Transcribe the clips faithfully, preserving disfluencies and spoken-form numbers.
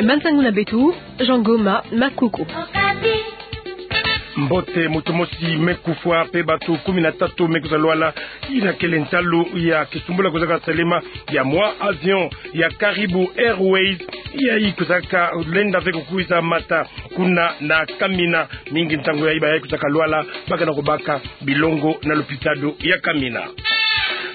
Mantangu na beto, Jean Goma Makuku. Mbote, moto mosi me kufwa mpe bato kumi na tatu me kwiza lwala, ina kele ntalu ya kisumbula kwizaka salama ya mwa avion ya Caribou Airways, yayi kwizaka lenda ve kukwiza mata kuna na Kamina. Mingi ntangu yayi bayayi kwizaka lwala, bakana kubaka bilongo na lopitalo ya Kamina.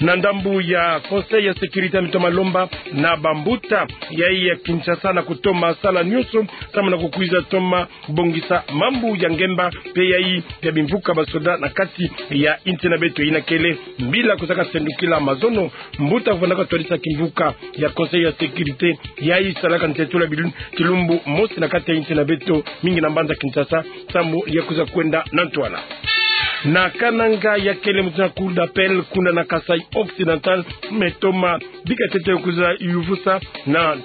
Na ndambu ya Conseil ya Sécurité, mitoma lomba na bambuta yayi ya Kinshasa na kutoma sala nyonso, samu na kukwiza toma bongisa mambu ya ngemba mpe yayi ya bimvuka basoda na kati ya insi na beto. Ina kele mbila kwizaka sendukila mazono mbuta kuvandaka twadisa kimvuka ya Conseil ya Sécurité, yayi salaka ntetula bilu-, kilumbu mosi na kati ya insi na beto, mingi na mbanza Kinshasa, samu ya kwiza kwenda na ntwala. Na Kananga, ya kele mutindu ya Cour d'appel kuna na Kasaï Occidental, me toma bika ntete kwiza yuvusa na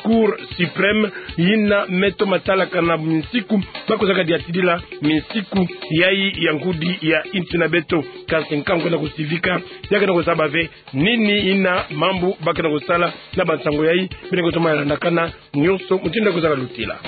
Cour suprême, yina me toma talakana minsiku ba kwizaka diatidila minsiku yayi ya ngudi ya insi na beto. Kansi nkangu kena kusivika, ya kena kuzaba ve nini ina mambu ba kena kusala na bansango yayi, bina kutoma landakana nyonso mutindu ya kwizaka lutila.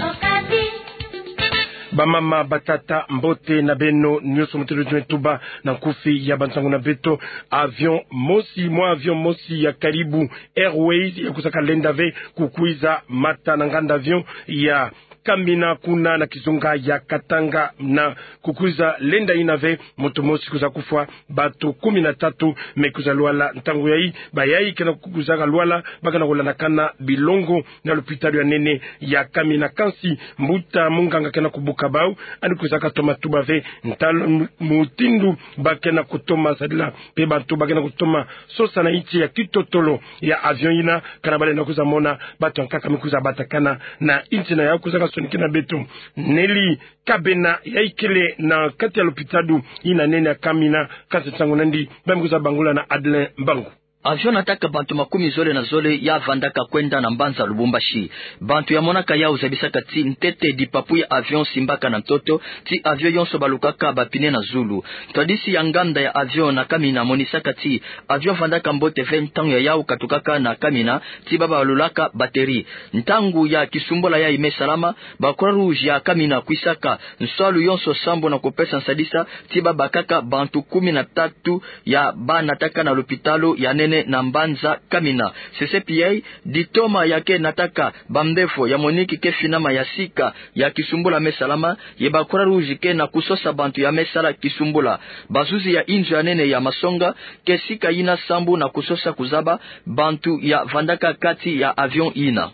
Bamama, batata, mbote na beno nyonso mutindu tuna tuba na nkufi ya bansango na beto. Avion mosi, mwa avion mosi ya Caribou Airways ya kwizaka lenda ve kukwiza mata na nganda avion ya Kamina kuna na kizunga ya Katanga, na kukwiza lenda ina ve moto mosi kwiza kufwa, bato kumi na tatu me kwiza lwala. Ntangu yayi, bayayi kena kwizaka lwala, bakana kulandakana bilongo na lopitalo ya nene ya Kamina. Kansi mbuta munganga kena kubuka bau, yandi kwizaka toma tuba ve ntalu mu-, mutindu ba kena kutoma sadila mpe bantu ba kena kutoma sosa na nsi ya kitotolo ya avion ina, kana balenda kwiza mona bato ya nkaka me kwiza batakana na nsi na yau. Kwizaka sonikina beto Nelly Kabena, yayi kele na kati ya lopitalo ina nene ya Kamina, kansi nsangu na yandi ba me kwiza bangula na Adeline Mbangu. Avion nataka bantu makumi zole na zole ya vandaka kwenda na mbanza Lubumbashi. Bantu ya monaka yau zabisaka ti ntete dipapu ya avion simbaka na ntoto, ti avion yonso balukaka ba pneu na zulu. Twadisi ya nganda ya avion na Kamina monisaka ti avion vandaka mbote ve ntangu ya yau katukaka na Kamina, ti ba balulaka batterie. Ntangu ya kisumbula yayi me salama, ba Croix-Rouge ya Kamina kwisaka nswalu yonso sambu na kupesa nsadisa, ti ba bakaka bantu kumi na tatu ya ba nataka na lopitalo ya nene na mbanza Kamina. CCPA, ditoma ya ke nataka bambevo ya Monique ke finama ya sika ya kisumbula me salama, ye ba Croix-Rouge ke na kusosa bantu ya me sala kisumbula. Bazuzi ya inzo ya nene ya masonga ke sika yina sambu na kusosa kuzaba bantu ya vandaka kati ya avion yina.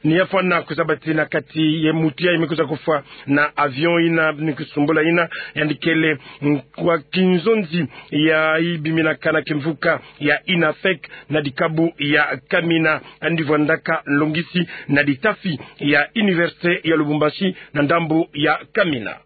Ni ya fwana kuzaba ti na kati ye mutu yayi me kwiza kufwa na avion yina ni kisumbula yina, yandi kele kwa kinzonzi yayi biminaka na kimvuka ya INAFEC na dikabu ya Kamina, yandi vandaka nlongisi na ditafi ya Université ya Lubumbashi na ndambu ya Kamina.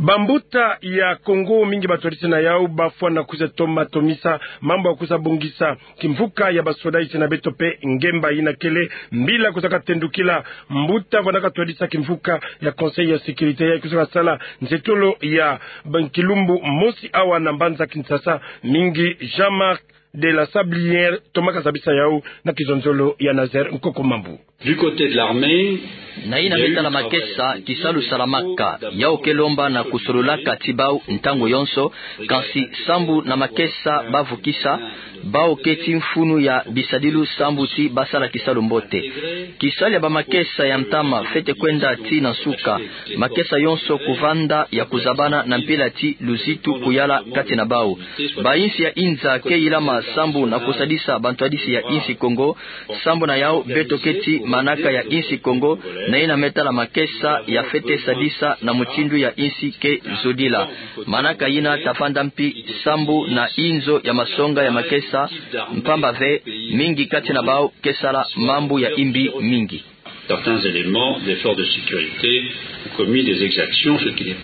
Bambuta ya Kongo mingi batwadisi na yau bafwana kwiza toma tomisa mambu ya kwiza bongisa kimvuka ya basoda, nsi na beto mpe ngemba. Yina kele mbila kwizaka tendukila mbuta vandaka twadisa kimvuka ya Conseil ya Sécurité, yayi kwizaka sala nsetolo ya ban kilumbu mosi awa na mbanza Kinshasa, mingi Jean-Marc de la Sablière tomaka zabisa yau na kizonzolo ya Nazaire Nkoko Mambu. Du côté de l'armée, na yina me tala makesa, kisalu salamaka, yau ke lomba na kusololaka ti bau ntangu yonso, kansi sambu na makesa bavukisa, bau ke ti mfunu ya bisadilu sambu ti basala kisalu mbote. Kisalu ya bamakesa ya ntama fwete kwenda ti na nsuka, makesa yonso kuvanda ya kuzabana na mpila ti luzitu kuyala kati na bau. Bayinsi ya inza ke yilama sambu na kusadisa bantwadisi ya insi Kongo, sambu na yau beto ke ti manaka ya insi Kongo, na yina me tala makesa ya fwete sadisa na mutindu ya insi ke zodila. Manaka yina ta vanda mpi sambu na inzo ya masonga ya makesa, mpamba ve mingi kati na bau ke sala mambu ya imbi mingi. Certains éléments des forces de sécurité ont commis des exactions, ce qui n'est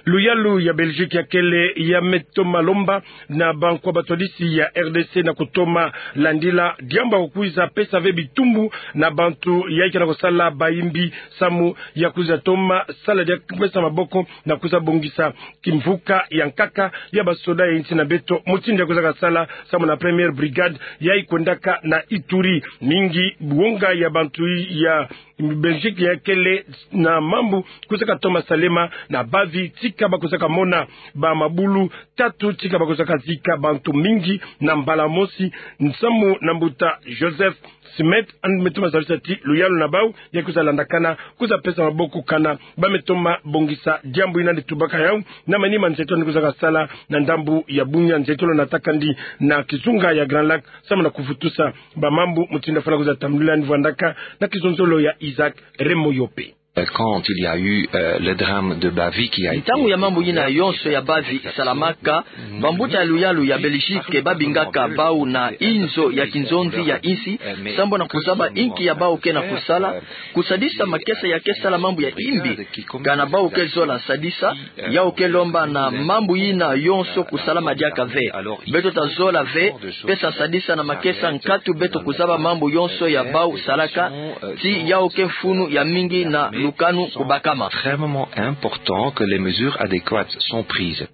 Luyalu ya Belgique ya kele ya me toma lomba na bankwa batwadisi ya R D C na kutoma landila diambu ya kukwiza pesa ve bitumbu na bantu yayi ke na kusala bayimbi samu ya kwiza toma sala dia kupesa maboko na kwiza bongisa kimvuka ya nkaka ya basoda ya insi na beto, mutindu ya kwizaka sala samu na première brigade yayi kwendaka na Ituri. Mingi wonga ya bantu ya Belgique ya kele na mambu kwizaka toma salema na bavi tika ba kwizaka mona bamabulu tatu tika ba kwizaka zika bantu mingi na mbala mosi, samu na mbuta Joseph Smith, yandi me toma zabisa ti luyalu na bau ya kwiza landakana, kwiza pesa maboko kana ba me toma bongisa diambu yina. Yandi tubaka yau na manima nzietolo yandi kwizaka sala na ndambu ya bunya, nzietolo yandi natakandi na kizunga ya Grand Lac samu na kuvutusa bamambu mutindu yafwana kwiza tambulila. Yandi vwandaka na kizonzolo ya Isaac Remoyope. Quand il y a eu, euh, le drame de Bavi qui a été... Ntangu ya mambu yina yonso ya Bavi salamaka, bambuta ya luyalu ya Belgique ba bingaka bau na inzo ya kinzonzi ya insi, sambu na kuzaba inki ya bau ke na kusala, kusadisa makesa ya ke sala mambu ya imbi. Kana bau ke zola sadisa, yau ke lomba na mambu yina yonso kusalama diaka ve. Beto ta zola ve pesa sadisa na makesa nkatu beto kuzaba mambu yonso ya bau salaka, ti yau ke mfunu ya mingi na lukanu kubakama. Extrêmement important que les mesures adéquates sont prises.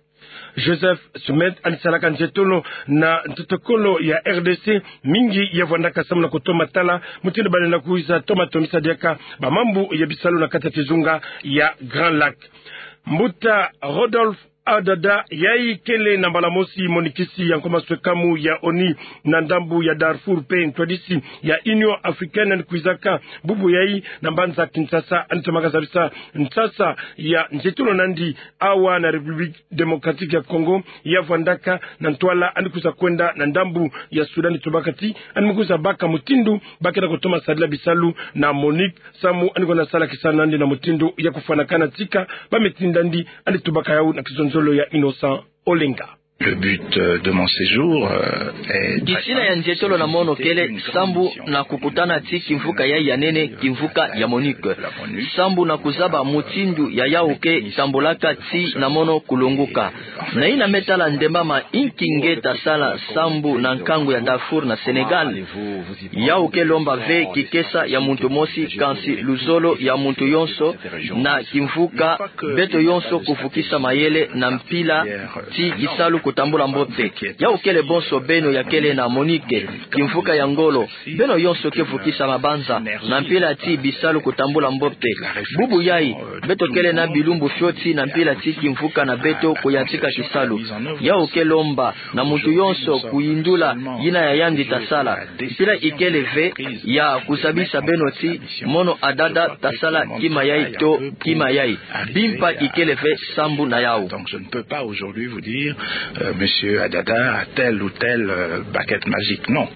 Joseph Smith yandi salaka nzietolo na ntotokolo ya R D C, mingi ya vwandaka samu na kutoma tala mutindu ba lenda kwiza toma tomisa diaka bamambu ya bisalu na kati ya kizunga ya Grand Lac. Mbuta Rodolphe Adada, yayi kele na mbala mosi monikisi ya nkwa maswekamu ya ONU na ndambu ya Darfour pe ntwadisi ya Union Africaine, yandi kwizaka bubu yayi na mbanza Kinshasa, yandi tomaka zabisa nsasa ya nzietolo na yandi awa na République Démocratique ya Congo, ya vwandaka na ntwala yandi kwiza kwenda na ndambu ya Soudan. Yandi tubaka ti yandi me kwiza baka mutindu ba ke na kutoma sadila bisalu na MONUC, samu yandi kwenda sala kisalu na yandi na mutindu ya kufwanakana tika ba me tinda yandi. Yandi tubaka yau na kizonzolo ya Innocent Olenga. Le but, euh, de mon séjour, euh, est... Kisina ya nzietolo na mono kele sambu na kukutana ti kimvuka yayi ya nene, kimvuka ya MONUC, sambu na kuzaba mutindu ya yau ke tambulaka ti na mono kulonguka. Na yina me tala ndemba ma inki nge ta sala sambu na nkangu ya Darfour na Sénégal. Yau ke lomba ve kikesa ya muntu mosi, kansi luzolo ya muntu yonso na kimvuka, beto yonso kuvukisa mayele na mpila ti kisalu kutambula mbote. Yau kele bonso beno ya kele na MONUC, kimvuka ya ngolo, beno yonso ke vukisa mabanza na mpila ti bisalu kutambula mbote. Bubu yayi, beto kele na bilumbu fioti na mpila ti kimvuka na beto kuyantika kisalu. Yau ke lomba na muntu yonso kuyindula yina ya yandi ta sala. Mpila ikele ve ya kuzabisa beno ti mono Adada ta sala kima yayi to kima yayi. Bimpa ikele ve sambu na yau. Donc je ne peux pas aujourd'hui vous dire, euh, monsieur Adada a telle ou telle, euh, baguette magique. Non.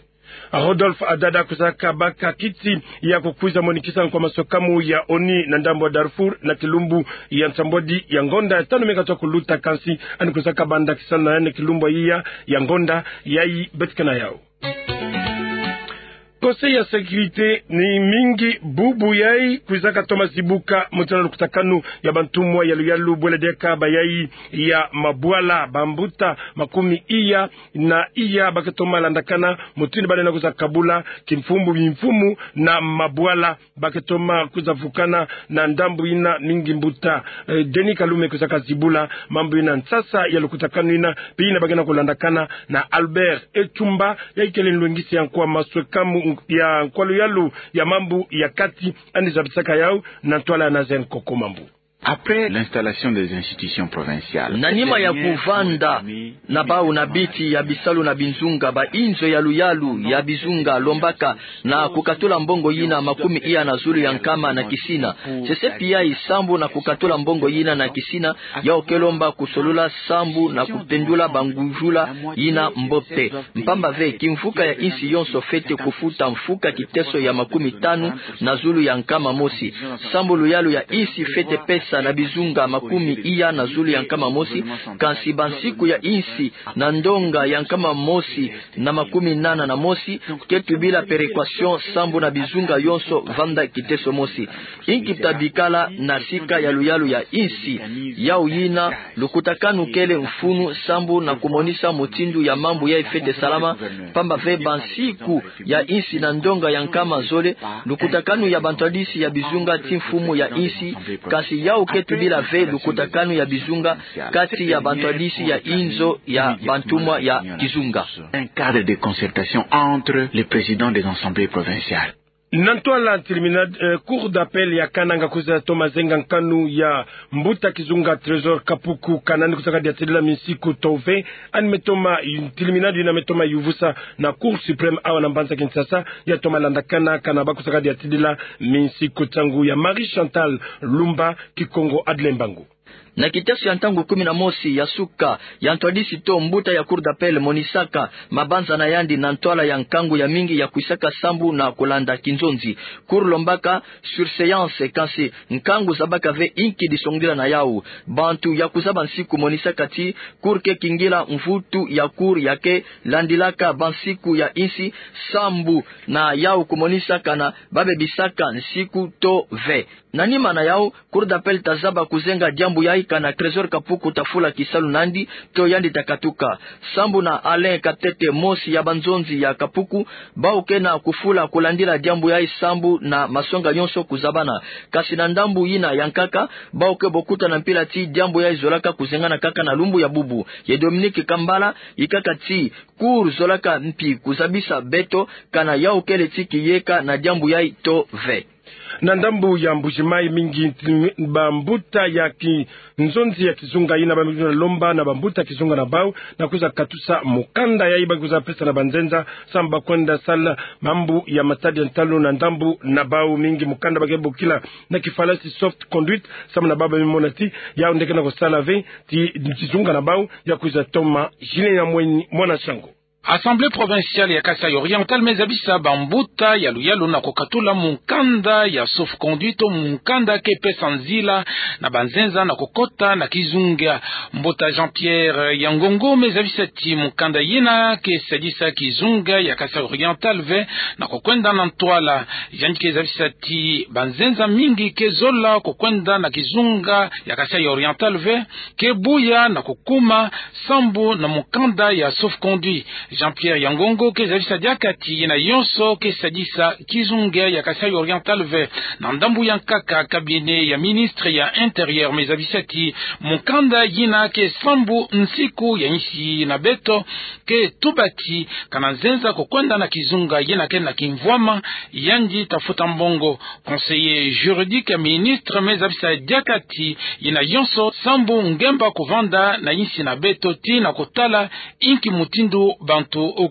Rodolphe Adada kwizaka baka kiti ya kukwiza monikisa nkwa maswekamu ya ONU na ndambu ya Darfour na kilumbu ya nsambwadi ya ngonda ya tanu me katoa kuluta, kansi yandi kwizaka banda kisalu na yandi kilumbu ya iya ya ngonda yayi. Betikana yau. Conseil ya sécurité ni mingi bubu yayi kwizaka toma zibuka mutindu na lukutakanu ya bantumwa ya luyalu bwele diaka bayayi ya mabwala, bambuta makumi iya na iya ba ke toma landakana mutindu ba lenda kwiza kabula kimfumu bimfumu na mabwala. Ba ke toma kwiza vukana na ndambu yina mingi. Mbuta, eh, Denis Kalume kwizaka zibula mambu yina, nsasa ya lukutakanu yina, mpe yina ba ke na kulandakana na Albert Etumba, yayi kele nlwengisi ya nkwa maswekamu ya nkwa luyalu ya mambu ya kati, yandi zabisaka yau na ntwala ya Nazaire Nkoko Mambu. Après l'installation des institutions provinciales, na nima ya kuvanda na bau na biti ya bisalu na binzunga, ba inzo ya luyalu ya bizunga lombaka na kukatula mbongo yina makumi iya na zulu ya nkama na kisina. Sese pi yayi sambu na kukatula mbongo yina na kisina, yau ke lomba kusolula sambu na kupendula bangujula yina mbote. Mpamba ve, kimvuka ya insi yonso fwete kufuta mfuka kiteso ya makumi tanu na zulu ya nkama mosi. Sambu luyalu ya insi fwete pesa na bizunga makumi iya na zulu ya nkama mosi, kansi bansiku ya insi na ndonga ya nkama mosi na makumi nana na mosi, ke tubila péréquation sambu na bizunga yonso vanda kiteso mosi. Inki ta bikala na sika ya luyalu ya insi? Yau yina, lukutakanu kele mfunu sambu na kumonisa mutindu ya mambu yayi fwete salama, pamba ve bansiku ya insi na ndonga ya nkama zole, lukutakanu ya bantwadisi ya bizunga ti mfumu ya insi, kansi yau ke tubila ve lukutakanu ya bizunga kati ya bantwadisi ya inzo ya bantumwa ya kizunga. Un cadre de concertation entre les présidents des assemblées provinciales. Na ntwala ntilimina, eh, Cour d'appel ya Kananga kwiza toma zenga nkanu ya mbuta kizunga Trésor Kapuku, kana ni kwiza kadiatidila minsiku to ve, ani me toma, ntilimina yina me toma yuvusa na Cour suprême awa na mbanza Kinshasa, ya toma landakana, kana ba kwiza kadiatidila minsiku. Nsangu ya Marie Chantal Lumba, Kikongo Adle Mbangu. Na kiteso ya ntangu kumi na mosi ya suka, ya ntwadisi to mbuta ya Cour d'appel monisaka mabanza na yandi na ntwala ya nkangu ya mingi ya kwisaka sambu na kulanda kinzonzi. Cour lombaka surséance, kansi nkangu zabaka ve inki disongila na yau. Bantu ya kuzaba nsiku monisaka ti Cour ke kingila mvutu ya Cour ya ke landilaka bansiku ya insi sambu na yau kumonisaka na ba bebisaka nsiku to ve. Na nima na yau, Cour d'appel ta zaba kuzenga diambu yayi kana Trésor Kapuku ta fula kisalu nandi, to yandi ta katuka. Sambu na Alain Katete, mosi ya banzonzi ya Kapuku, bau ke na kufula kulandila diambu yayi sambu na masonga yonso kuzabana. Kansi na ndambu yina ya nkaka, bau ke bokuta na mpila ti diambu yayi zolaka kuzengana kaka na lumbu ya bubu. Ye Dominique Kambala, yikaka ti Cour zolaka mpi kuzabisa beto kana yau kele ti kiyeka na diambu yayi to ve. Na ndambu ya Mbuji-Mayi, mingi bambuta ya kinzonzi ya kizunga yina ba mingi na lomba na bambuta kizunga na bau na kwiza katusa mukanda yayi ba kwiza pesa na banzenza sambu ba kwenda sala mambu ya matadi ya ntalu na ndambu na bau. Mingi mukanda ba ke bokila na kifalasi soft conduite, sambu na bau ba mimona ti yau nde ke na kusala ve ti kizunga na bau ya kwiza toma. Julien Nyamweni, mwana Sango. Assemblée provinciale ya Kasaï Oriental me zabisa bambuta ya luyalu na kukatula mukanda ya sauf-conduit, mukanda ke pesa nzila na banzenza na kukota na kizunga. Mbuta Jean-Pierre Yangongo me zabisa ti mukanda yina ke sadisa kizunga ya Kasaï Oriental ve na kukwenda na ntwala. Yandi ke zabisa ti banzenza mingi ke zola kukwenda na kizunga ya Kasaï Oriental ve ke buya na kukuma sambu na mukanda ya sauf-conduit. Jean-Pierre Yangongo ke zabisa diaka ti yina yonso ke sadisa kizunga ya Kasaï Oriental ve. Na ndambu ya nkaka, cabinet ya ministre ya Intérieur me zabisa ti mukanda yina ke sambu nsiku ya insi na beto ke tuba ti kana nzenza kukwenda na kizunga yina ke na kimvwama, yandi ta futa mbongo. Conseiller juridique ya ministre me zabisa diaka ti yina yonso sambu ngemba kuvanda na insi na beto ti na kutala inki mutindu bantu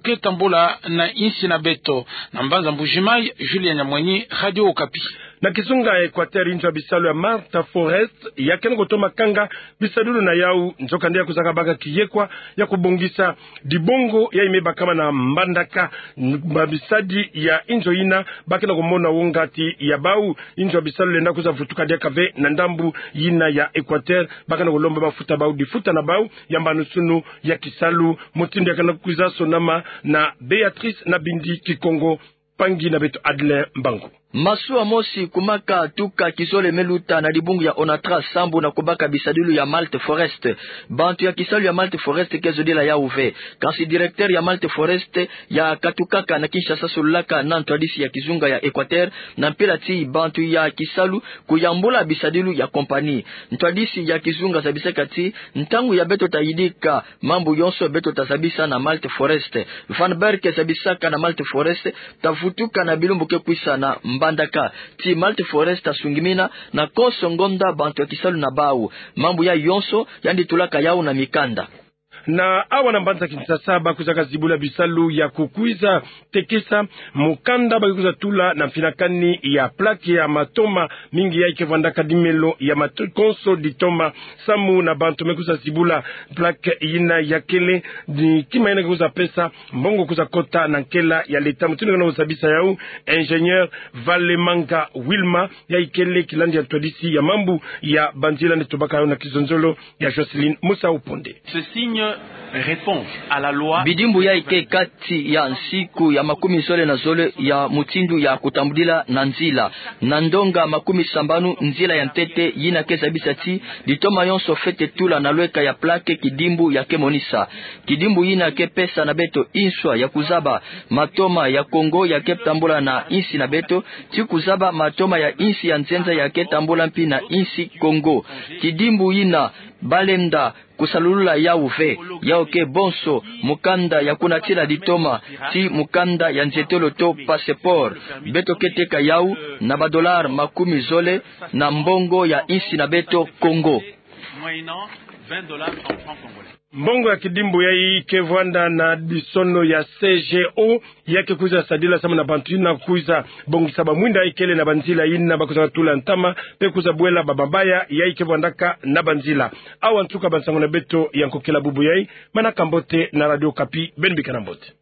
ke tambula na insi na beto. Na mbanza Mbuji-Mayi, Julien Nyamweni, Radio Okapi. Na kizunga Équateur, inzo ya bisalu ya Malte Forest ya kena kutoma kanga bisadulu na yau, nzokande ya kuzaka baka kiyekwa ya kubongisa dibongo yayi me bakama na Mbandaka. Bamisadi ya inzo yina ba kena kumona wonga ti ya bau, inzo ya bisalu lenda kwiza vutuka diaka ve na ndambu yina ya Équateur. Ba kena kulomba mafuta bau difuta na bau ya mbanusunu ya kisalu. Mutindu ya kena kwiza sonama na Béatrice Nabindi Kikongo, mpangi na beto Adle Mbangu. Masuwa mosi kumaka tuka kizole me luta na dibungu ya Onatra sambu na kubaka bisadulu ya Malte Forest. Bantu ya kisalu ya Malte Forest ke zodila yau ve. Kansi directeur ya Malte Forest ya katukaka na Kinshasa solulaka na ntwadisi ya kizunga ya Équateur, na mpila ti bantu ya kisalu kuyambula bisadulu ya compagnie. Ntwadisi ya kizunga zabisaka ti ntangu ya beto ta yidika mambu yonso beto ta zabisa na Malte Forest. Van Berk zabisaka na Malte Forest ta vutuka na bilumbu ke kwisa na Mbandaka. Ti Malte Forest ta sungimina na konso ngonda bantu ya kisalu na bau. Mambu yayi yonso yandi tulaka yau na mikanda. Na awa na mbanza Kinshasa, ba kwizaka zibula bisalu ya kukwiza tekisa mukanda ba ke kwiza tula na mfinakani ya plaque ya matoma mingi yayi ke vwandaka dimelo ya mato-, konso ditoma samu na bantu me kwiza zibula plaque yina ya kele, ni kima yina ke kwiza pesa mbongo kwiza kota na nkela ya leta. Mutindu ke na kwiza bisa yawu, ingénieur Valemanga Wilma, yayi kele kilandi ya ntwadisi ya mambu ya banzila, nde tobaka yawu na kizonzolo ya Jocelyne Musa Uponde. Ce signe répond à la loi. Bidimbu yayi ke kati ya nsiku ya makumi zole na zole ya mutindu ya kutambudila na nzila. Na ndonga makumi sambanu nzila ya ntete yina ke zabisa ti ditoma yonso fwete tula na lweka ya plaque kidimbu ya ke monisa. Kidimbu yina ke pesa na beto nswa ya kuzaba matoma ya Kongo ya ke tambula na nsi na beto, ti kuzaba matoma ya nsi ya nzenza ya ke tambula mpi na nsi Kongo. Kidimbu yina balenda kusalulula yawu ve, yawu ke bonso mukanda ya kunatila ditoma, ti mukanda ya nzietolo to passeport. Beto ke teka yawu na ba dollars makumi zole na mbongo ya nsi na beto Kongo. Moyennant vingt dollars en francs congolais. Mbongo ya kidimbu yayi ke vwanda na bisono ya C G O, ya ke kwiza sadila samu na bantu yina kwiza bongisa bamwinda yayi kele na banzila yina ba kwiza tula ntama, pe kwiza bwela bamabaya yayi ke vwandaka na banzila. Awa nsuka bansangu na beto ya nkokila bubu yayi. Manaka mbote na Radio Okapi, beno bika na mbote.